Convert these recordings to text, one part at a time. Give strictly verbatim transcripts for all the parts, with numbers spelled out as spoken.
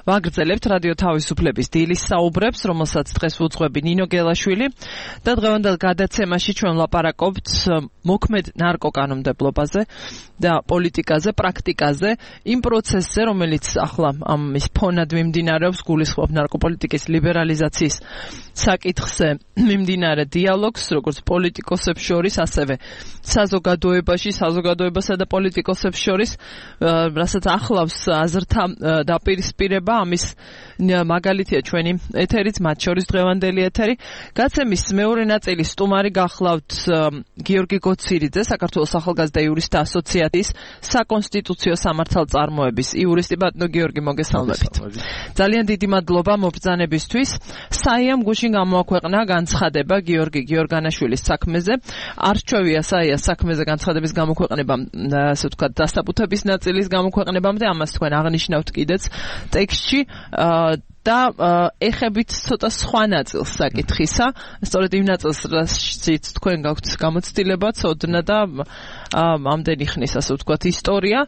ვაგრძელებთ რადიო თავისუფლების დილის საუბრებს, რომელსაც დღეს უძღვები ნინო გელაშვილი და დღევანდელ გადაცემაში ჩვენ ვლაპარაკობთ მოქმედ ნარკოკანონმდებლობაზე და პოლიტიკაზე, პრაქტიკაზე, იმ პროცესზე, რომელიც ახლა ამის ფონად მიმდინარეობს, გულისხმობ ნარკოპოლიტიკის ლიბერალიზაციის საკითხზე მიმდინარე დიალოგს, როგორც პოლიტიკოსებს შორის, ასევე საზოგადოებაში, საზოგადოებასა და პოლიტიკოსებს შორის, რასაც ახლავს აზრთა დაპირისპირება, ამის მაგალითია ჩვენი ეთერიც, მათ შორის დღევანდელი ეთერი. გაცემის მეორე ნაწილი სტუმარი გახლავთ გიორგი გოცირიძე, საქართველოს ახალგაზრდა იურისტთა ასოციაციის საკონსტიტუციო სამართალწარმოების იურისტი. ბატონო გიორგი, მოგესალმებით. ძალიან დიდი მადლობა მობრძანებისთვის. საიამ გუშინ გამოაქვეყნა განცხადება გიორგი გიორგანაშვილის საქმეზე. არ რჩევია საიას საქმეზე განცხადების გამოქვეყნება, ასე ვთქვათ, დასაბუთების ნაწილის გამოქვეყნებამდე, ამას თქვენ აღნიშნავთ კიდეც ტექსტში და ეხებით ცოტა სხვა ნაწილს საკითხისა, სწორედ იმ ნაწილს, რასაც თქვენ გაქვთ გამოცდილება, ცოდნა და ამდენი ხნის, ასე ვთქვათ, ისტორია.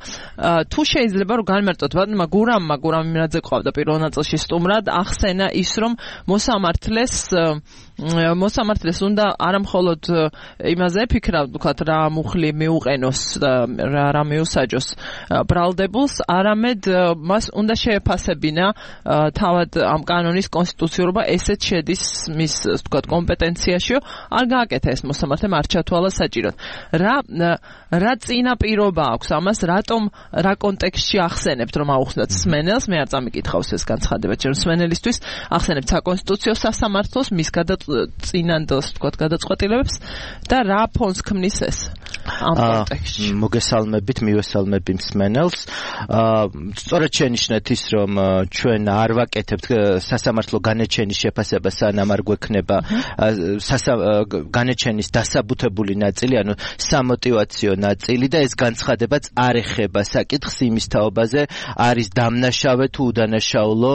თუ შეიძლება რომ განმარტოთ, ბატონმა გურამმა, გურამ იმრაძე ყავდა პირველ ნაწილში სტუმრად, ახსენა ის, რომ მოსამართლეს მოსამართლეს უნდა არამხოლოდ იმაზე იფიქრა, ვთქვათ, რა მუხლი მიუყენოს, რა რა მიუსაჯოს ბრალდებულს, არამედ მას უნდა შეეფასებინა თავად ამ კანონის კონსტიტუციურობა, ესეც შედის მის, ვთქვათ, კომპეტენციაშიო, არ გააკეთა ეს მოსამართლემ, არ ჩათვალა საჭიროდ. რა რა წინაპირობა აქვს ამას, რატომ, რა კონტექსტში ახსენებთ, რომ აუხსნათ სმენელს, მე არ წამიკითხავს ეს განცხადება, ჩვენ სმენელისთვის ახსენებთ საკონსტიტუციო სასამართლოს, მის გადაწინანდელს, ვთქვათ, გადაწყვეტილებებს და რა ფონს ქმნის ეს ამ კონტექსტში. მოგესალმებით, მივესალმები მსმენელს. სწორედ შენიშნეთ ის, რომ ჩვენ არ ვაკეთებთ სასამართლო განაჩენის შეფასება, სანამ არ გვექნება განაჩენის დასაბუთებული ნაწილი, ანუ სამოტივაციო ნაწილი და ეს განცხადებაც არ ეხება საკითხს იმის თაობაზე, არის დამნაშავე თუ უდანაშაულო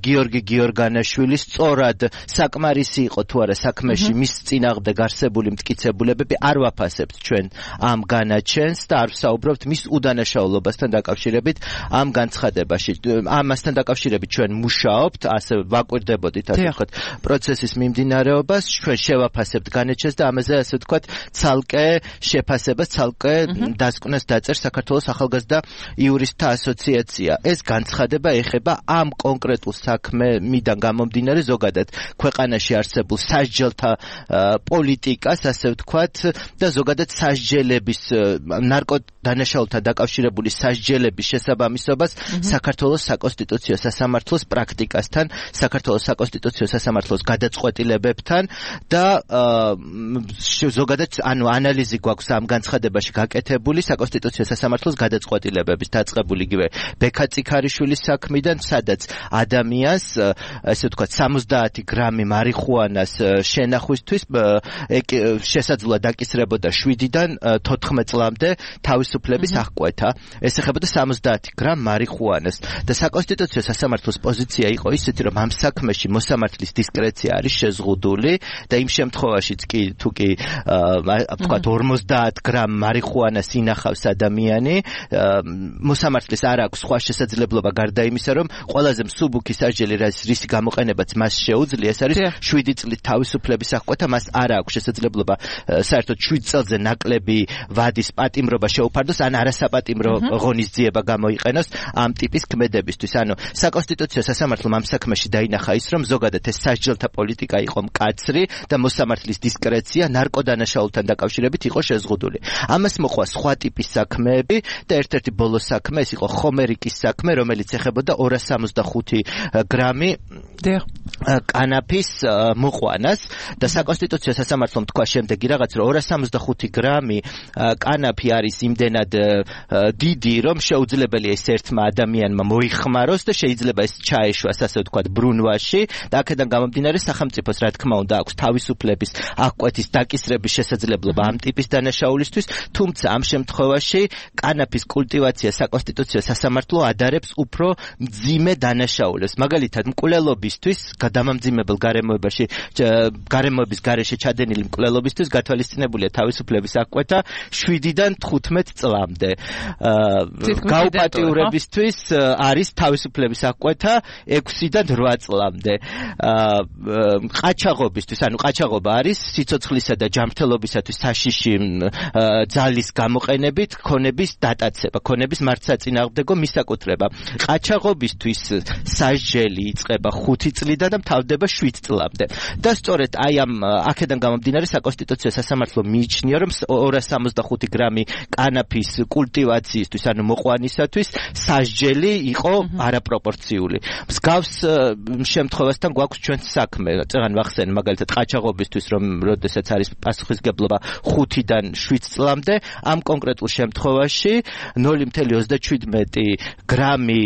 გიორგი გიორგანაშვილი, სწორად საკმარისი იყო თუ არა საქმეში მის წინააღმდეგ არსებული მტკიცებულებები, არ ვაფასებთ ჩვენ ამ განაჩენს და არ ვსაუბრობთ მის უდანაშაულობასთან დაკავშირებით ამ განცხადებაში. ამასთან დაკავშირებით ჩვენ მუშაობთ, ასე ვაკვირდებოდით, ასე ვთქვათ, პროცესის მიმდინარეობას, ჩვენ შევაფასებთ განაჩენს და ამაზე, ასე ვთქვათ, ცალკე შეფასებას, ცალკე დასკვნას დაწერს საქართველოს ახალგაზრდა იურისტთა ასოციაცია. ეს განცხადება ეხება ამ კონკრეტულ საქმედან გამომდინარე ზოგადად ქვეყანაში არსებულ სასჯელთა პოლიტიკას, ასე ვთქვათ, და ზოგადად სასჯელების, ნარკოდანაშაულთან დაკავშირებული სასჯელების შესაბამისობას საქართველოს საკონსტიტუციო სასამართლოს პრაქტიკასთან, საქართველოს საკონსტიტუციო სასამართლოს გადაწყვეტილებებთან და ზოგადად, ანუ ანალიზი გვაქვს ამ განცხადებაში გაკეთებული საკონსტიტუციო სასამართლოს გადაწყვეტილებების, დაწყებული იგივე ბექა წიქარიშვილის საქმიდან, სადაც ადამიანს, ასე ვთქვათ, სამოცდაათი გრამი მარიხუანას შენახვისთვის შესაძლოა დაკისრებოდა შვიდიდან თოთხმეტ წლამდე თავისუფლების აღკვეთა. ეს ეხებოდა სამოცდაათი გრამ მარიხუანას და საკონსტიტუციო სასამართლოს პოზიცია იყო ისეთი, რომ ამ საქმეში მოსამართლის დისკრეცია არის შეზღუდული და იმ შემთხვევაშიც კი თუ კი ვთქვათ ორმოცდაათ გრამ მარიხუანას ინახავს ადამიანი, მოსამართლის არ აქვს სხვა შესაძლებლობა გარდა იმისა, რომ ყველაზე მსუბუქი სასჯელი, რისი გამოყენებაც მას შეუძლია, ეს არის შვიდი წლით თავისუფლების აღკვეთა, მას არ აქვს შესაძლებლობა საერთოდ შვიდ წელზე ნაკლები ვადის პატიმრობა შეუფარდოს, ან არასაპატიმრო ღონისძიება გამოიყენოს ამ ტიპის ქმედებისთვის. ანუ საკონსტიტუციო სასამართლომ ამ საქმეში დაინახა ის, რომ ზოგადად ეს სასჯელთა პოლიტიკა იყო მკაცრი და მოსამართლის დისკრეცია ნარკოდანაშაულთან დაკავშირებით იყო შეზღუდული. ამას მოყვა სხვა ტიპის საქმეები და ერთ-ერთი ბოლო საქმე ეს იყო ხომერიკის საქმე, რომელიც ეხებოდა ორას სამოცდახუთი გრამი კანაფის მოყვანას და საკონსტიტუციო სასამართლომ თქვა შემდეგი რაღაც, რომ ორას სამოცდახუთი გრამი კანაფი არის იმდენად დიდი, რომ შეუძლებელია ეს ერთმა ადამიანმა მოიხმაროს და შეიძლება ეს ჩაეშვას, ასე ვთქვათ, ბრუნვაში და აქედან გამომდინარე სახელმწიფოს, რა თქმა უნდა, აქვს თავისუფლების აღკვეთის დაკისრების შესაძლებლობა ამ ტიპის დანაშაულისთვის, თუმცა ამ შემთხვევაში კანაფის კულტივაცია საკონსტიტუციო სასამართლო ადარებს უფრო მძიმე დანაშაულებს. მაგალითად, მკვლელობის მკვლელობისთვის, გადამამძიმებელ გარემოებაში, გარემოების გარეშე ჩადენილი მკვლელობისთვის გათვალისწინებულია თავისუფლების აღკვეთა შვიდიდან თხუთმეტ წლამდე. გაუპატიურებისთვის არის თავისუფლების აღკვეთა ექვსიდან რვა წლამდე. ყაჩაღობისთვის, ანუ ყაჩაღობა არის სიცოცხლისა და ჯანმრთელობისათვის საშიში ძალის გამოყენებით ქონების დატაცება, ქონების მართსაწინააღმდეგო მისაკუთრება. ყაჩაღობისთვის სასჯელი იწყება ხუთი წლიდან და მთავრდება შვიდ წლამდე. და სწორედ აი ამ აქედან გამომდინარე საკონსტიტუციო სასამართლო მიიჩნია, რომ ორას სამოცდახუთი გრამი კანაფის კულტივაციისთვის, ანუ მოყვანისათვის სასჯელი იყო არაპროპორციული. მსგავს შემთხვევასთან გვაქვს ჩვენს საქმე. წეგან ვახსენ მაგალითად ყაჩაღობისთვის, რომ როდესაც არის პასუხისგებლობა ხუთიდან შვიდ წლამდე, ამ კონკრეტულ შემთხვევაში ნული ათეული ოცდაშვიდმეტი გრამი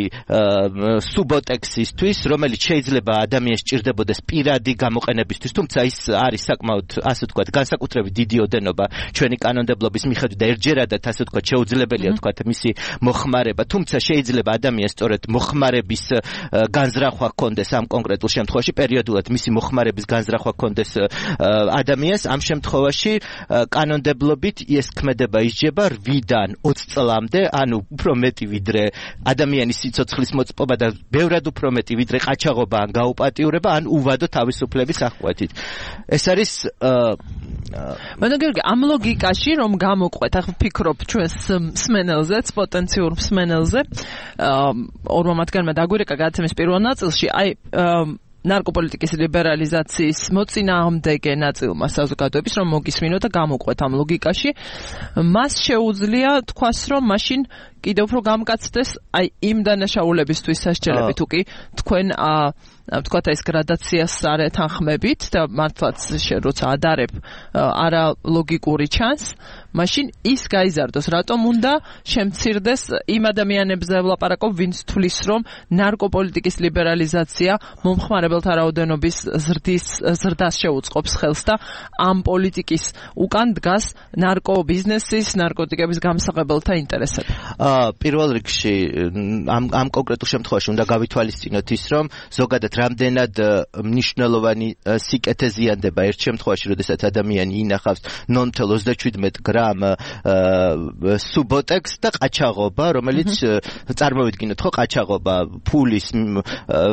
სუბოტექსისთვის, რომელიც შეიძლება ადამიანს სჭირდებოდეს პირადი გამოყენებისთვის, თუმცა ის არის საკმაოდ, ასე ვთქვათ, განსაკუთრებით დიდი ოდენობა ჩვენი კანონმდებლობის მიხედვით და ერთჯერადად, ასე ვთქვათ, შეუძლებელია ვთქვათ მისი მოხმარება, თუმცა შეიძლება ადამიანს სწორედ მოხმარების განზრახვა ჰქონდეს ამ კონკრეტულ შემთხვევაში, პერიოდულად მისი მოხმარების განზრახვა ჰქონდეს ადამიანს, ამ შემთხვევაში კანონმდებლობით ეს ქმედება ისჯება რვიდან ოცი წლამდე, ანუ უფრო მეტი ვიდრე ადამიანის სიცოცხლის მოწმობა და ბევრად უფრო მეტი ვიდრე ყაჩაღობა ან გაუპატიურება ან უვადო თავისუფლების აღკვეთით. ეს არის მაგრამ გიორგი, ამ ლოგიკაში რომ გამოყვეთ, ახლა ვფიქრობ ჩვენს მსმენელზეც, პოტენციურ მსმენელზე, ორმა მათგანმა დაგვირეკა გადაცემის პირველ ნაწილში, აი ნარკოპოლიტიკის ლიბერალიზაციის მოწინააღმდეგე ნაწილმა საზოგადოების რომ მოგისმინოთ და გამოყვეთ ამ ლოგიკაში, მას შეუძლია თქვას, რომ მაშინ კიდევ უფრო გამკაცდეს აი იმ დანაშაულებისთვის სასჯელები, თუ კი თქვენ ვთქვათ ეს გრადაციას არ ეთანხმებით და მართლაც როცა ადარებ არა ლოგიკური ჩანს, მაშინ ის გაიზარდოს, რატომ უნდა შემცირდეს იმ ადამიანებზე ვლაპარაკობ, ვინც თვლის, რომ ნარკოპოლიტიკის ლიბერალიზაცია მომხმარებელთა რაოდენობის ზრდის ზრდას შეუწყობს ხელს და ამ პოლიტიკის უკან დგას ნარკობიზნესის, ნარკოტიკების გამსაღებელთა ინტერესები. პირველ რიგში ამ ამ კონკრეტულ შემთხვევაში უნდა გავითვალისწინოთ ის, რომ ზოგადად რამდენად მნიშვნელოვანი სიკეთე ზიანდება ერთ შემთხვევაში, როდესაც ადამიანი ინახავს ნული ათეული ოცდაშვიდმეტი გრამ სუბოტექს და ყაჩაღობა, რომელიც წარმოვიდგინოთ ხო ყაჩაღობა ფულის,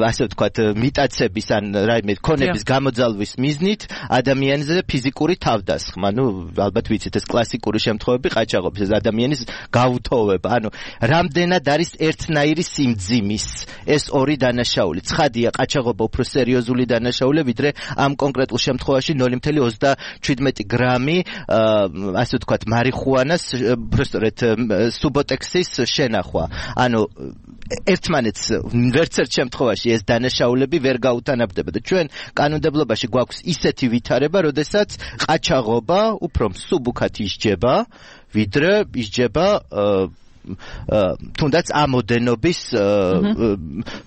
ასე ვთქვათ, მიტაცების ან რაიმე ქონების გამოძალვის მიზნით ადამიანზე ფიზიკური თავდასხმა. ნუ ალბათ ვიცით ეს კლასიკური შემთხვევები ყაჩაღობის, ეს ადამიანის გაუთოვება. ანუ რამდენად არის ერთნაირი სიმძიმის ეს ორი დანაშაული. ცხადია, ყაჩაღობა უფრო სერიოზული დანაშაულია, ვიდრე ამ კონკრეტულ შემთხვევაში ნული ათეული ოცდაშვიდმეტი გრამი, ასე ვთქვათ, მარიხუანას, უბრალოდ სუბოტექსის შენახვა. ანუ ერთმანეთს ვერც ერთ შემთხვევაში ეს დანაშაულები ვერ გაუთანაბრდება და ჩვენ კანონმდებლობაში გვაქვს ისეთი ვითარება, როდესაც ყაჩაღობა უფრო მსუბუქად ისჯება, ვიდრე ისჯება თუნდაც ამოდენობის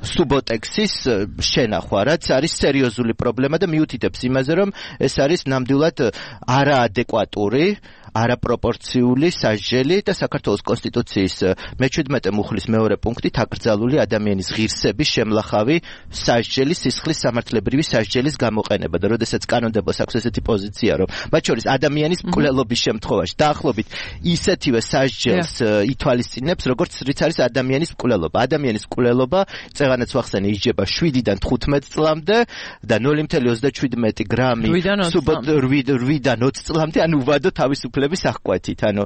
სუბოტექსის შენახვა, რაც არის სერიოზული პრობლემა და მიუთითებს იმაზე, რომ ეს არის ნამდვილად არაადეკვატური, არაპროპორციული სასჯელი და საქართველოს კონსტიტუციის მეჩვიდმეტე მუხლის მეორე პუნქტით აკრძალული ადამიანის ღირსების შემლახავი სასჯელი, სისხლის სამართლებრივი სასჯელის გამოყენება და როდესაც კანონმდებლოს აქვს ესეთი პოზიცია, რომ მათ შორის ადამიანის მკვლელობის შემთხვევაში დაახლოებით ისეთივე სასჯელს ითვალისწინებს, როგორც რიც არის ადამიანის მკვლელობა. ადამიანის მკვლელობა, წეღანაც ვახსენე, ისჯება შვიდიდან თხუთმეტ წლამდე და ნული ათეული ოცდაშვიდმეტი გრამი რვიდან ოცი წლამდე, ანუ უვადო თავისუფლების აღკვეთით. ანუ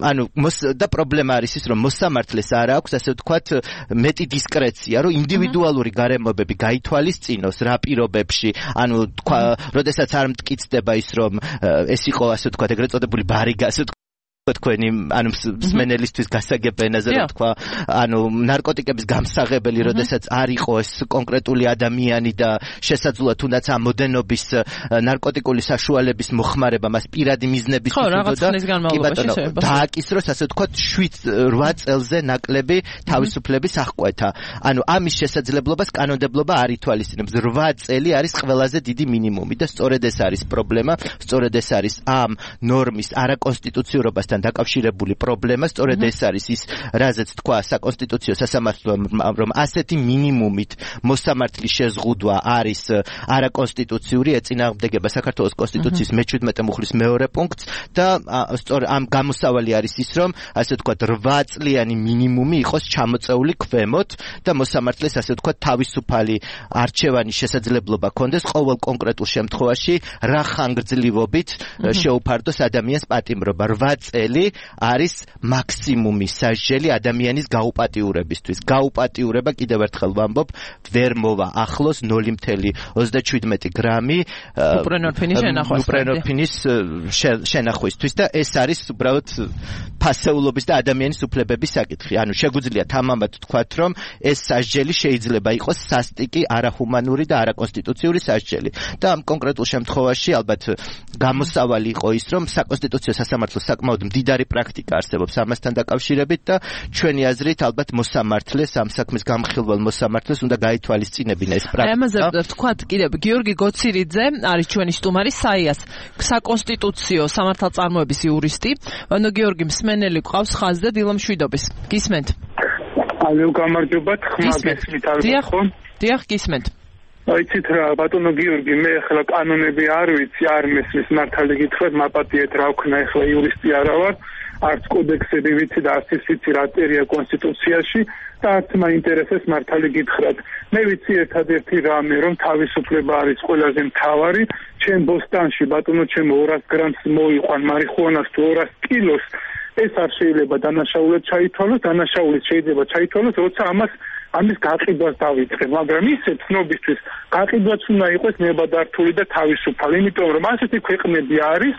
ანუ და პრობლემა არის ის, რომ მოსამართლეს არ აქვს, ასე ვთქვათ, მეტი დისკრეცია, რომ ინდივიდუალური გარემოებები გაითვალისწინოს რა პირობებში, ანუ თქვა, როდესაც არ მტკიცდება ის, რომ ეს იყო, ასე ვთქვათ, ეგრეთ წოდებული ბარიგა, ასე ვთქვათ, თქვენი ანუ მსმენელისთვის გასაგებ ენაზე რა თქვა, ანუ ნარკოტიკების გამსაღებელი, როდესაც არ იყო ეს კონკრეტული ადამიანი და შესაძლოა თუნდაც ამ მოდენობის ნარკოტიკული საშუალების მოხმარება მას პირადი მიზნების მქონდა და დააკისროს, ასე ვთქვათ, შვიდ რვა წელზე ნაკლები თავისუფლების აღკვეთა. ანუ ამის შესაძლებლობას კანონმდებლობა არ ითვალისწინებს. რვა წელი არის ყველაზე დიდი მინიმუმი და სწორედ ეს არის პრობლემა, სწორედ ეს არის ამ ნორმის არაკონსტიტუციურობასთან მოსამართლესთან დაკავშირებული პრობლემა, სწორედ ეს არის ის, რაზეც თქვა საკონსტიტუციო სასამართლომ, რომ ასეთი მინიმუმით მოსამართლის შეზღუდვა არის არაკონსტიტუციური, ეწინააღმდეგება საქართველოს კონსტიტუციის მეჩვიდმეტე მუხლის მეორე პუნქტს და სწორ ამ გამოსავალი არის ის, რომ ასე ვთქვათ რვა წლიანი მინიმუმი იყოს ჩამოწეული ქვემოთ და მოსამართლეს ასე ვთქვათ თავისუფალი არჩევანის შესაძლებლობა ქონდეს ყოველ კონკრეტულ შემთხვევაში რა ხანგრძლივობით შეუფარდოს ადამიანს პატიმრობა. რვა წელი არის მაქსიმუმი სასჯელი ადამიანის გაუპატიურებისთვის. გაუპატიურება კიდევ ერთხელ ვამბობ, ვერ მოვა ახლოს ნული ოცდაშვიდი ოცდაჩვიდმეტი გრამი უპრენორფინის შენახვა. უპრენორფინის შენახვისთვის და ეს არის უბრალოდ ფასეულობის და ადამიანის უფლებების საკითხი. ანუ შეგვიძლია თამამად თქვათ, რომ ეს სასჯელი შეიძლება იყოს სასტიკი, არაჰუმანური და არაკონსტიტუციური სასჯელი. და ამ კონკრეტულ შემთხვევაში ალბათ გამოსავალი იყო ის, რომ საკონსტიტუციო სასამართლოს საკმაოდ მდიდარი პრაქტიკა არსებობს ამასთან დაკავშირებით და ჩვენი აზრით ალბათ მოსამართლეს, ამ საქმის გამხილვალ მოსამართლეს უნდა გაითვალისწინებინა ეს პრაქტიკა. ამაზე ვთქვათ კიდევ გიორგი გოცირიძე არის ჩვენი სტუმარი საიას საკონსტიტუციო სამართალწარმოების იურისტი. ანუ გიორგი მსმენელი ყავს ხაზზე დილამშვიდობის. გისმენთ? ალო გამარჯობათ, ხმა გესმით ალბათ ხო? დიახ, გისმენთ. აიცით რა, ბატონო გიორგი, მე ახლა კანონები არ ვიცი, არ მესმის მართალი გითხრათ, მაპატიეთ რა ვქნა, ახლა იურისტი არა ვარ, არც კოდექსები ვიცი და არც ის ვიცი რა წერია კონსტიტუციაში და არც მაინტერესებს მართალი გითხრათ. მე ვიცი ერთადერთი რამე, რომ თავისუფლება არის ყველაზე მთავარი. ჩემ ბოსტანში ბატონო ჩემო ორას გრამს მოიყვან მარიხუანას თუ ორას კილოს, ეს არ შეიძლება დანაშაულად ჩაითვალოს, დანაშაულიც შეიძლება ჩაითვალოს, როცა ამას ამის გაყიდვას დავიწყებ, მაგრამ ისე ცნობისთვის გაყიდვაც უნდა იყოს ნებადართული და თავისუფალი, იმიტომ რომ ასეთი ქვეყნები არის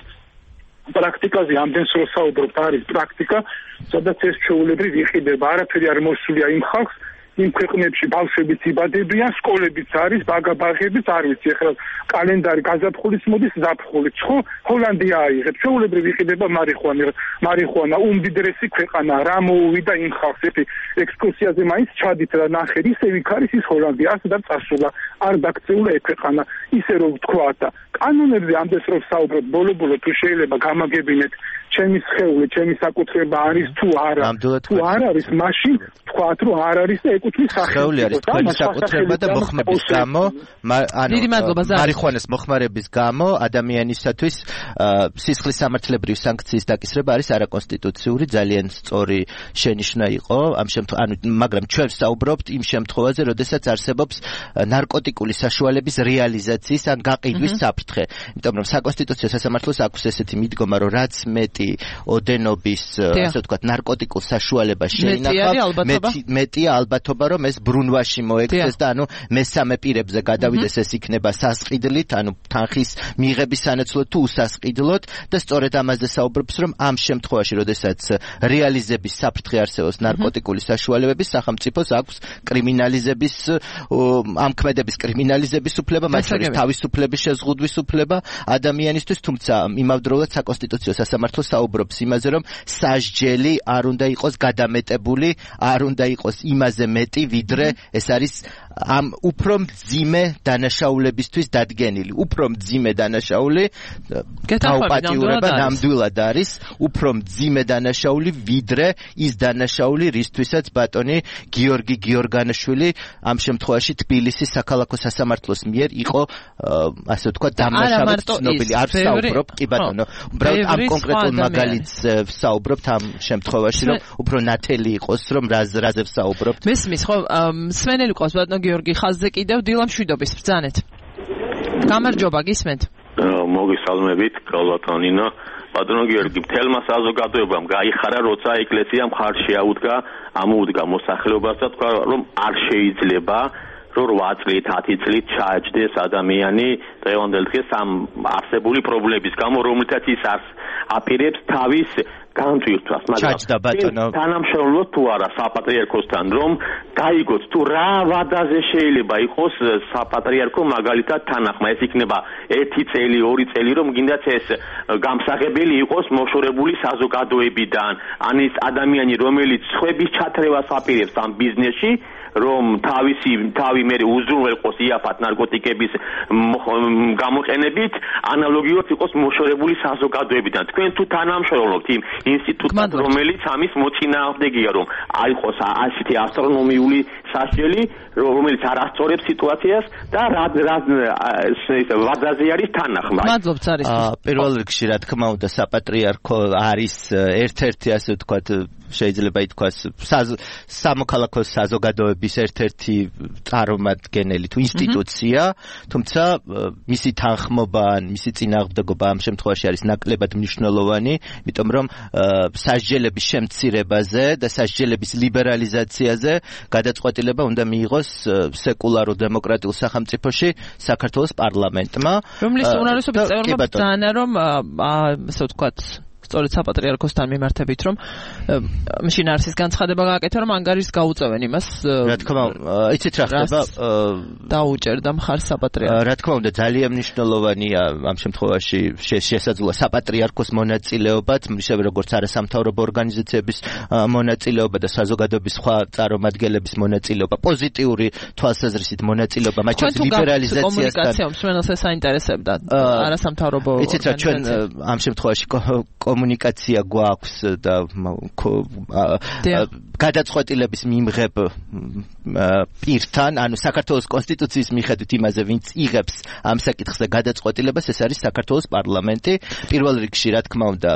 პრაქტიკაზე ამდენს რო საუბრობთ, არის პრაქტიკა, სადაც ეს ჩვეულებრივ იყიდება, არაფერი არ მოსულია იმ ხალხს, იმ ქვეყნებში ბავშვებიც იბადებიან, სკოლებიც არის, ბაგაბაღებიც არ ვიცი, ახლა კალენდარი გაზაფხულიც მოდის, ზაფხულიც, ხო? ჰოლანდია აიღებს, ჩვეულებრივ იყიდება მარიხუანა, მარიხუანა უმდიდრესი ქვეყანა, რა მოუვიდა იმ ხალხს, ერთი ექსკურსიაზე მაინც ჩადით და ნახეთ, ისე იქ არის ის ჰოლანდია, ასე და წასულა, არ დაქცეულა ეს ქვეყანა, ისე რომ ვთქვა და კანონებზე ამდენს რომ საუბრობთ, ბოლო-ბოლო თუ შეიძლება გამაგებინეთ ჩემი სხეული, ჩემი საკუთრება არის თუ არა, თუ არ არის, მაშინ თქვათ რომ არ არის და ეკუთვნის სახელი. სხეული არის თქვენი საკუთრება და მოხმების გამო, ანუ მარიხუანას მოხმარების გამო ადამიანისათვის სისხლის სამართლებრივი სანქციის დაკისრება არის არაკონსტიტუციური, ძალიან სწორი შენიშვნა იყო ამ შემთხვევაში, ანუ მაგრამ ჩვენ ვსაუბრობთ იმ შემთხვევაზე, როდესაც არსებობს ნარკოტიკული საშუალების რეალიზაციის ან გაყიდვის საფრთხე. იმიტომ რომ საკონსტიტუციო სასამართლოს აქვს ესეთი მიდგომა, რომ რაც მეტი ოდენობის, ასე ვთქვათ, ნარკოტიკულ საშუალებას შეინახავ, მეტია ალბათობა, რომ ეს ბრუნვაში მოექცეს და ანუ მესამე პირებზე გადავიდეს, ეს იქნება სასყიდლით, ანუ თანხის მიღების სანაცვლოდ თუ უსასყიდლოდ და სწორედ ამაზე საუბრობს, რომ ამ შემთხვევაში, როდესაც რეალიზების საფრთხე არსებობს ნარკოტიკული საშუალებების, სახელმწიფოს აქვს კრიმინალიზების, ამ ქმედების კრიმინალიზების უფლება, მათ შორის თავისუფლების შეზღუდვის უფლება ადამიანისთვის, თუმცა იმავდროულად საკონსტიტუციო სასამართლო საუბრობს იმაზე, რომ სასჯელი არ უნდა იყოს გადამეტებული, არ უნდა იყოს იმაზე მეტი, ვიდრე ეს არის ამ უფრო მძიმე დანაშაულებისთვის დადგენილი. უფრო მძიმე დანაშაული გაუპატიურება ნამდვილად არის უფრო მძიმე დანაშაული, ვიდრე ის დანაშაული, რისთვისაც ბატონი გიორგი გიორგანაშვილი ამ შემთხვევაში თბილისის საქალაქო სასამართლოს მიერ იყო, ასე ვთქვათ, დამნაშავედ ცნობილი. არ ვსაუბრობ, კი ბატონო, უბრალოდ ამ კონკრეტულ მაგალითს ვსაუბრობთ ამ შემთხვევაში, რომ უფრო ნათელი იყოს, რომ რაზე ვსაუბრობთ. მესმის ხო, მსმენელი ყავს ბატონო გიორგი ხაზზე კიდევ დილამშვიდობის ბრძანეთ. გამარჯობა, გისმენთ? მოგესალმებით, გალბატონინო. ბატონო გიორგი, მთელმა საზოგადოებამ გაიხარა, როცა ეკლესია მხარს შეაუდგა, ამოუდგა მოსახლეობას და თქვა, რომ არ შეიძლება რომ რვა წლით, ათი წლით ჩააჯდეს ადამიანი დღევანდელ დღეს ამ არსებული პრობლემების გამო, რომლითაც ის აპირებს თავის განწირთვას, მაგრამ თანამშრომლობთ თუ არა საპატრიარქოსთან, რომ გაიგოთ თუ რა ვადაზე შეიძლება იყოს საპატრიარქო მაგალითად თანახმა, ეს იქნება ერთი წელი, ორი წელი, რომ გინდათ ეს გამსაღებელი იყოს მოშორებული საზოგადოებიდან, ან ის ადამიანი, რომელიც სხვების ჩათრევას აპირებს ამ ბიზნესში, რომ თავისი თავი მე უზრუნველყოს იაფად ნარკოტიკების გამოყენებით, ანალოგიურად იყოს მოშორებული საზოგადოებიდან. თქვენ თუ თანამშრომლობთ იმ ინსტიტუტთან, რომელიც ამის მოწინააღმდეგეა, რომ აიყოს ასეთი ასტრონომიული სასჯელი, რომელიც არასწორებს სიტუაციას და რა რა ვადაზე არის თანახმა. მადლობთ არის. პირველ რიგში რა თქმა უნდა საპატრიარქო არის ერთ-ერთი ასე ვთქვათ შეიძლება ითქვას სამოქალაქო საზოგადოების ერთ-ერთი წარმომადგენელი თუ ინსტიტუცია, თუმცა მისი თანხმობა ან მისი წინააღმდეგობა ამ შემთხვევაში არის ნაკლებად მნიშვნელოვანი, იმიტომ რომ სასჯელების შემცირებაზე და სასჯელების ლიბერალიზაციაზე გადაწყვეტილება უნდა მიიღოს სეკულარულ დემოკრატიულ სახელმწიფოში საქართველოს პარლამენტმა, რომლის უმრავლესობის წევრობა ბრძანა რომ ასე ვთქვათ სწორედ საპატრიარქოსთან მიმართებით რომ მაშინ არის ის განცხადება გააკეთა რომ ანგარიშს გაუწევენ იმას რა თქმა უნდა იცით რა ხდება დაუჭერდა მხარს საპატრიარქოს რა თქმა უნდა ძალიან მნიშვნელოვანია ამ შემთხვევაში შესაძლოა საპატრიარქოს მონაწილეობაც ისევე როგორც არასამთავრობო ორგანიზაციების მონაწილეობა და საზოგადოების სხვა წარმომადგენლების მონაწილეობა პოზიტიური თვალსაზრისით მონაწილეობა მათ შორის ლიბერალიზაციასთან კომუნიკაცია მსმენელს საინტერესებდა არასამთავრობო იცით რა ჩვენ ამ შემთხვევაში კომუნიკაცია გვაქვს და გადაწყვეტილების მიმღებ პირთან, ანუ საქართველოს კონსტიტუციის მიხედვით იმაზე, ვინც იღებს ამ საკითხზე გადაწყვეტილებას, ეს არის საქართველოს პარლამენტი. პირველ რიგში, რა თქმა უნდა,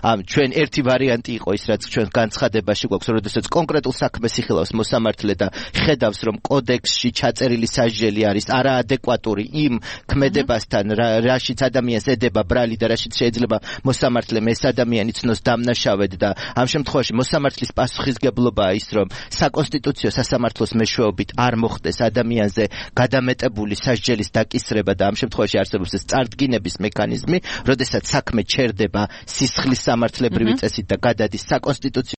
ამ ჩვენ ერთი ვარიანტი იყო ის, რაც ჩვენ განცხადებაში გვაქვს, როდესაც კონკრეტულ საქმეს იხილავს მოსამართლე და ხედავს, რომ კოდექსში ჩაწერილი სასჯელი არის არაადეკვატური იმ ქმედებასთან, რაშიც ადამიანს ედება ბრალი და რაშიც შეიძლება მოსამართლე ეს ადამიანი ცნოს დამნაშავედ და ამ შემთხვევაში მოსამართლის პასუხისგებლობაა ის, რომ საკონსტიტუციო სასამართლოს მეშვეობით არ მოხდეს ადამიანზე გადამეტებული სასჯელის დაკისრება და ამ შემთხვევაში არსებობს ეს წარდგინების მექანიზმი, როდესაც საქმე ჩერდება სისხლის სამართლებრივი წესით და გადადის საკონსტიტუციო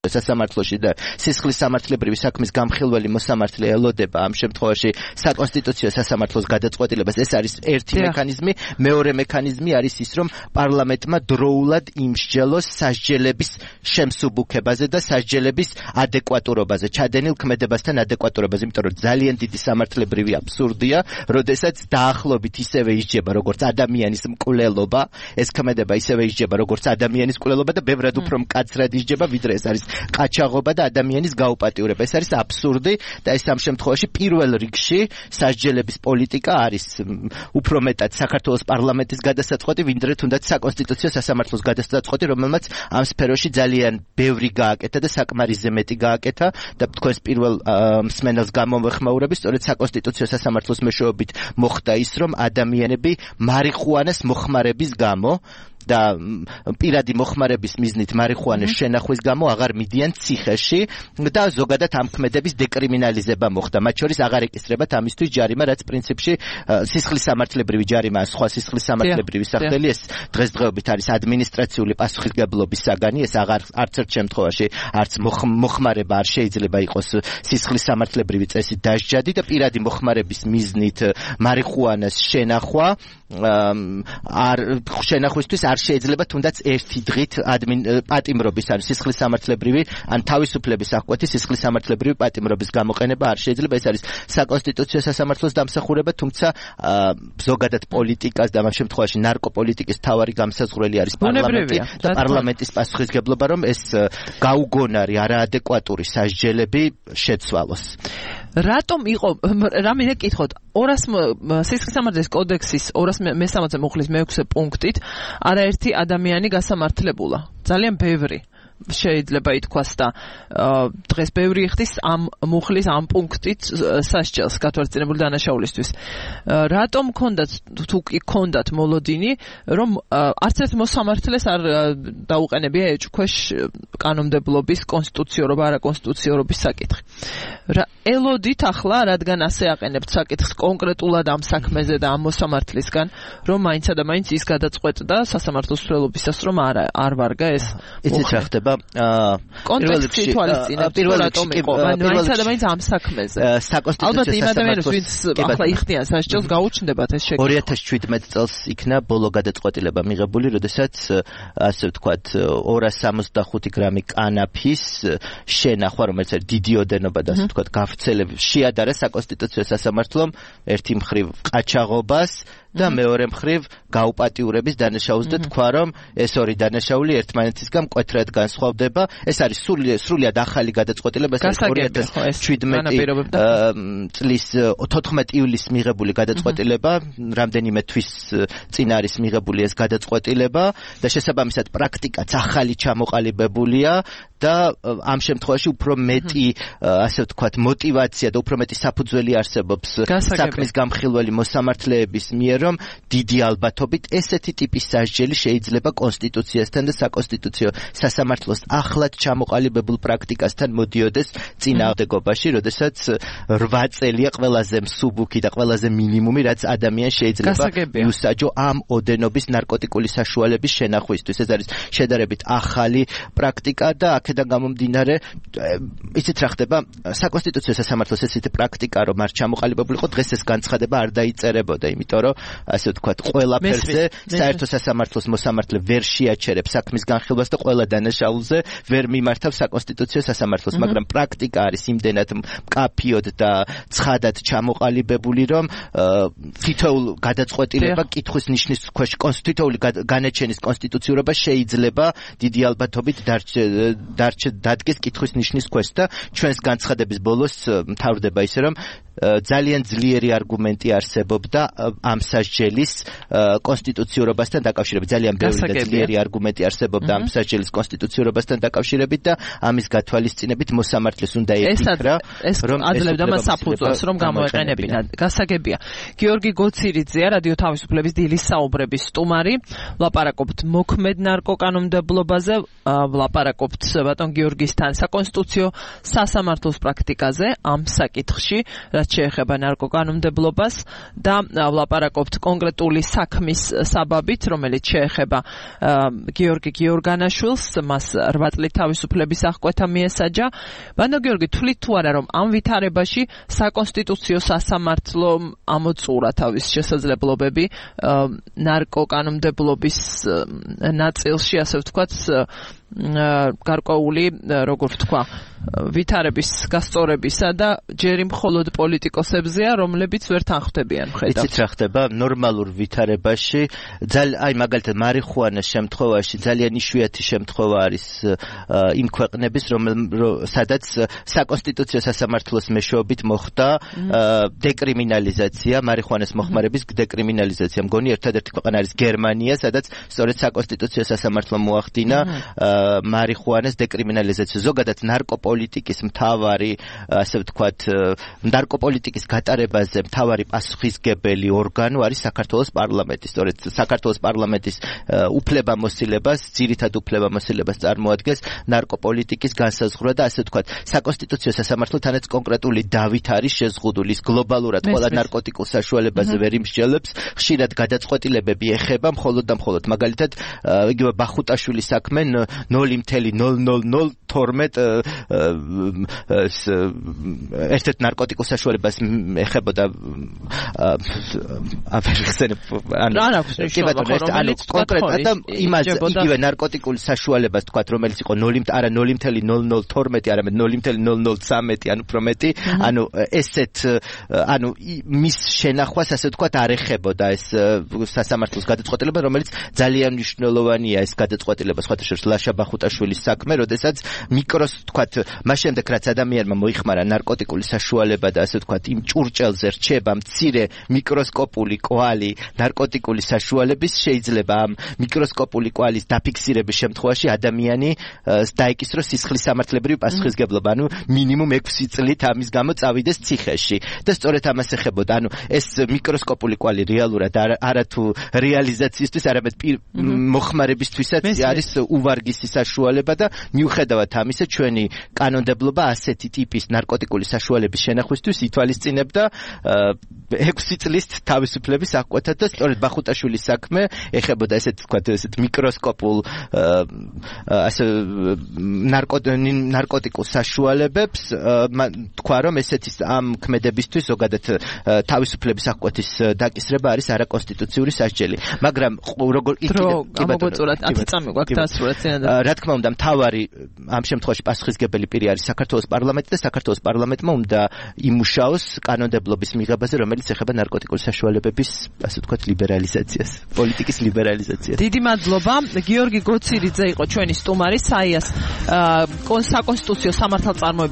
სასამართლოში და სისხლის სამართლებრივი საქმის გამხილველი მოსამართლე ელოდება ამ შემთხვევაში საკონსტიტუციო სასამართლოს გადაწყვეტილებას. ეს არის ერთი მექანიზმი, მეორე მექანიზმი არის ის, რომ პარლამენტმა დროულად იმსჯელოს სასჯელების შემსუბუქებაზე და სასჯელების ადეკვატურობაზე, ჩადენილ ქმედებასთან ადეკვატურობაზე, იმიტომ რომ ძალიან დიდი სამართლებრივი აბსურდია, როდესაც დაახლოებით ისევე ისჯება როგორც ადამიანის მკვლელობა, ეს ქმედება ისევე ისჯება როგორც ადამიანის მკვლელობა და ბევრად უფრო მკაცრად ისჯება, ვიდრე ეს არის ყაჩაღობა და ადამიანის გაუპატიურება. ეს არის აბსურდი და ეს ამ შემთხვევაში პირველ რიგში სასჯელების პოლიტიკა არის უფრო მეტად საქართველოს პარლამენტის გადასაწყვეტი, ვიდრე თუნდაც საკონსტიტუციო სასამართლოს გადასაწყვეტი, რომელმაც ამ სფეროში ძალიან ბევრი გააკეთა და საკმარისზე მეტი გააკეთა და თქვენს პირველ მსმენელს გამოვეხმაურები, სწორედ საკონსტიტუციო სასამართლოს მეშვეობით მოხდა ის, რომ ადამიანები მარიხუანას მოხმარების გამო და პირადი მოხმარების მიზნით მარიხუანას შენახვის გამო აღარ მიდიან ციხეში და ზოგადად ამ ქმედების დეკრიმინალიზება მოხდა. მათ შორის აღარ ეკისრებათ ამისთვის ჯარიმა, რაც პრინციპში სისხლის სამართლებრივი ჯარიმაა, სხვა სისხლის სამართლებრივი სახელი, ეს დღესდღეობით არის ადმინისტრაციული პასუხისგებლობის საგანი, ეს აღარ არც ერთ შემთხვევაში არც მოხმარება არ შეიძლება იყოს სისხლის სამართლებრივი წესით დასჯადი და პირადი მოხმარების მიზნით მარიხუანას შენახვა არ შენახვისთვის არ შეიძლება თუნდაც ერთი დღით პატიმრობის ან სისხლის სამართლებრივი ან თავისუფლების აღკვეთი სისხლის სამართლებრივი პატიმრობის გამოყენება არ შეიძლება. ეს არის საკონსტიტუციო სასამართლოს დამსახურება, თუმცა ზოგადად პოლიტიკას და ამ შემთხვევაში ნარკოპოლიტიკის მთავარი გამსაზღვრელი არის პარლამენტი და პარლამენტის პასუხისგებლობა, რომ ეს გაუგონარი არაადეკვატური სასჯელები შეცვალოს. რატომ იყო რა მინდა გითხოთ ორას სისხლის სამართლის კოდექსის ორას მესამეცე მუხლის მეექვსე პუნქტით არაერთი ადამიანი გასამართლებულა, ძალიან ბევრი შეიძლება ითქვას და დღეს ბევრი იხდის ამ მუხლის ამ პუნქტით სასჯელს გათვალისწინებული დანაშაულისთვის. რატომ ქონდათ თუ კი ქონდათ მოლოდინი, რომ არც ერთ მოსამართლეს არ დაუყენებია ეჭქვეშ კანონმდებლობის კონსტიტუციურობა, არაკონსტიტუციურობის საკითხი. ელოდით ახლა, რადგან ასე აყენებთ საკითხს კონკრეტულად ამ საქმეზე და ამ მოსამართლისგან, რომ მაინცა და მაინც ის გადაწყვეტდა სასამართლოს მსვლელობისას, რომ არ არ ვარგა ეს. იცით რა ხდება? კონტექსტი თვალისწინებთ პირველ რატომ იყო მაინც ადამიანს ამ საქმეზე საკონსტიტუციო ალბათ იმ ადამიანებს ვინც ახლა იხდიან სასჯელს გაუჩნდებათ ეს შეკითხვა ორი ათას შვიდმეტი წელს იქნა ბოლო გადაწყვეტილება მიღებული როდესაც ასე ვთქვათ ორას სამოცდახუთი გრამი კანაფის შენახვა რომელიც არის დიდი ოდენობა და ასე ვთქვათ გავრცელების შეადარა საკონსტიტუციო სასამართლომ ერთი მხრივ ყაჩაღობას და მეორე მხრივ გაუპატიურების დანაშაულს და თქვა რომ ეს ორი დანაშაული ერთმანეთისგან მკვეთრად განსხვავდება ეს არის სრულიად ახალი გადაწყვეტილება ეს ორი ათას შვიდმეტი წლის თოთხმეტი ივლისს მიღებული გადაწყვეტილება რამდენიმე თვის წინ არის მიღებული ეს გადაწყვეტილება და შესაბამისად პრაქტიკაც ახალი ჩამოყალიბებულია და ამ შემთხვევაში უფრო მეტი ასე ვთქვათ мотиваცია და უფრო მეტი საფუძველი არსებობს საქმის გამხილველი მოსამართლეების მიერ რომ დიდი ალბათობით ესეთი ტიპის სასჯელი შეიძლება კონსტიტუციასთან და საკონსტიტუციო სასამართლოს ახლად ჩამოყალიბებულ პრაქტიკასთან მოდიოდეს წინააღმდეგობაში, როდესაც რვა წელია ყველაზე მსუბუქი და ყველაზე მინიმუმი, რაც ადამიანს შეიძლება მიუსაჯო ამ ოდენობის ნარკოტიკული საშუალების შენახვისთვის. ეს არის შედარებით ახალი პრაქტიკა და აქედან გამომდინარე, იცით რა ხდება, საკონსტიტუციო სასამართლოს ესეთი პრაქტიკა რომ არ ჩამოყალიბებულიყო, დღეს ეს განცხადება არ დაიწერებოდა, იმიტომ რომ ასე ვთქვათ, ყველაფერზე საერთო სასამართლოს მოსამართლე ვერ შეაჩერებს საქმის განხილვას და ყველა დანაშაულზე ვერ მიმართავს საკონსტიტუციო სასამართლოს, მაგრამ პრაქტიკა არის იმდენად მკაფიოდ და ცხადად ჩამოყალიბებული, რომ თითოეულ გადაწყვეტილება კითხვის ნიშნის ქვეშ კონსტიტუციური განაჩენის კონსტიტუციურობა შეიძლება დიდი ალბათობით დადგეს კითხვის ნიშნის ქვეშ და ჩვენს განცხადების ბოლოს მთავრდება ისე, რომ ძალიან ძლიერი არგუმენტი არსებობდა ამ სასჯელის კონსტიტუციურობასთან დაკავშირებით. ძალიან ბევრი და ძლიერი არგუმენტი არსებობდა ამ სასჯელის კონსტიტუციურობასთან დაკავშირებით და ამის გათვალისწინებით მოსამართლეს უნდა ეკითხრა, რომ აძლევდა მას საფუძველს, რომ გამოეყენებინა. გასაგებია. გიორგი გოცირიძეა, რადიო თავისუფლების დილის საუბრების სტუმარი. ვლაპარაკობთ მოქმედ ნარკოკანონმდებლობაზე, ვლაპარაკობთ ბატონ გიორგისთან საკონსტიტუციო სასამართლოს პრაქტიკაზე ამ საკითხში, რაც შეეხება ნარკოკანონმდებლობას და ვლაპარაკობთ კონკრეტული საქმის საბაბით, რომელიც შეეხება გიორგი გიორგანაშვილს, მას რვა წლით თავისუფლების აღკვეთა მიესაჯა. ბატონ გიორგი, თვლით თუ არა, რომ ამ ვითარებაში საკონსტიტუციო სასამართლომ ამოწურა თავის შესაძლებლობები ნარკოკანონმდებლობის ნაწილში, ასე ვთქვათ, გარკვეული, როგორ ვთქვა, ვითარების გასწორებისა და ჯერი მხოლოდ პოლიტიკოსებზეა, რომლებიც ვერ თანხმდებიან ხედავს. იცით რა ხდება? ნორმალურ ვითარებაში, აი მაგალითად მარიხუანას შემთხვევაში ძალიან იშვიათი შემთხვევა არის იმ ქვეყნების, სადაც საკონსტიტუციო სასამართლოს მეშვეობით მოხდა დეკრიმინალიზაცია, მარიხუანას მოხმარების დეკრიმინალიზაცია. მგონი ერთადერთი ქვეყანა არის გერმანია, სადაც სწორედ საკონსტიტუციო სასამართლომ მოახდინა მარიხუანას დეკრიმინალიზაცია. ზოგადად ნარკოპოლიტიკის მთავარი, ასე ვთქვათ, ნარკოპოლიტიკის გატარებაზე მთავარი პასუხისგებელი ორგანო არის საქართველოს პარლამენტი. სწორედ საქართველოს პარლამენტის უფლებამოსილებას, ძირითად უფლებამოსილებას წარმოადგენს ნარკოპოლიტიკის განსაზღვრა და ასე ვთქვათ, საკონსტიტუციო სასამართლო თანაც კონკრეტული დავით არის შეზღუდული, გლობალურად ყველა ნარკოტიკულ საშუალებაზე ვერ იმსჯელებს, ხშირად გადაწყვეტილებები ეხება მხოლოდ და მხოლოდ მაგალითად იგივე ბახუტაშვილის საქმე ნული ნული ნული ნული თორმეტ ერთ-ერთ ნარკოტიკულ საშუალებას ეხებოდა აფერხსენებ ანუ კონკრეტულად იმას იგივე ნარკოტიკული საშუალებას თქვა რომელიც იყო ნული არა ნული ნული ნული თორმეტი არამედ ნული ნული ნული ცხრამეტი ანუ უფრო მეტი ანუ ესეთ ანუ მის შენახვას ასე თქვა არ ეხებოდა ეს სასამართლოს გადაწყვეტილება რომელიც ძალიან მნიშვნელოვანია ეს გადაწყვეტილება სხვათა შორის ლაშა ბახუტაშვილის საქმე როდესაც მიკროს თქვათ მას შემდეგ რაც ადამიანმა მოიხმარა ნარკოტიკული საშუალება და ასე თქვათ იმ ჭურჭელზე რჩება მცირე მიკროსკოპული კვალი ნარკოტიკული საშუალების შეიძლება ამ მიკროსკოპული კვალის დაფიქსირების შემთხვევაში ადამიანი დაეკისროს სისხლის სამართლებრივი პასუხისგებლობა ანუ მინიმუმ ექვსი წლით ამის გამო წავიდეს ციხეში და სწორედ ამას ეხებოდა ანუ ეს მიკროსკოპული კვალი რეალურად არათუ რეალიზაციისთვის არამედ მოხმარებისთვისაც არის უვარგისი უმაღლესი საშუალება და მიუხედავად ამისა ჩვენი კანონმდებლობა ასეთი ტიპის ნარკოტიკული საშუალების შენახვისთვის ითვალისწინებდა ექვსი წლის თავისუფლების აღკვეთად და სწორედ ბახუტაშვილის საქმე ეხებოდა ესეთ თქვათ ესეთ მიკროსკოპულ ასე ნარკოტიკულ საშუალებებს თქვა რომ ესეთი ამ ქმედებისთვის ზოგადად თავისუფლების აღკვეთის დაკისრება არის არაკონსტიტუციური სასჯელი მაგრამ როგორ ამოგოწურათ ათი წამი გვაქვს დასრულეთ რა თქმა უნდა მთავარი ამ შემთხვევაში პასუხისგებელი პირი არის საქართველოს პარლამენტი და საქართველოს პარლამენტმა უნდა იმუშაოს კანონმდებლობის მიღებაზე რომელიც ეხება ნარკოტიკული საშუალებების ასე ვთქვათ ლიბერალიზაციას პოლიტიკის ლიბერალიზაციას დიდი მადლობა გიორგი გოცირიძე იყო ჩვენი სტუმარი საიას საკონსტიტუციო სამართალწარმოების